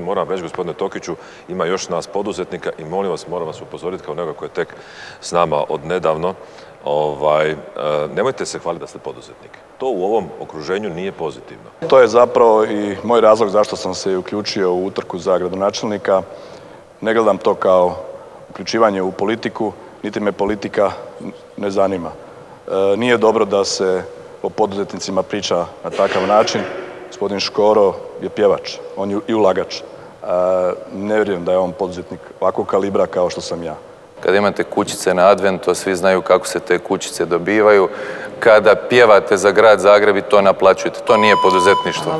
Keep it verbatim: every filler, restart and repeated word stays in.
Moram reći, gospodine Tokiću, ima još nas poduzetnika i molim vas, moram vas upozoriti kao neko koji je tek s nama od nedavno, ovaj, nemojte se hvaliti da ste poduzetnik. To u ovom okruženju nije pozitivno. To je zapravo i moj razlog zašto sam se uključio u utrku za gradonačelnika. Ne gledam to kao uključivanje u politiku, niti me politika ne zanima. Nije dobro da se o poduzetnicima priča na takav način. Gospodin Škoro je pjevač, on je i ulagač. Ne vjerujem da je on poduzetnik ovakvog kalibra kao što sam ja. Kada imate kućice na advent, to svi znaju kako se te kućice dobivaju. Kada pjevate za grad Zagreb i to naplaćujete, to nije poduzetništvo.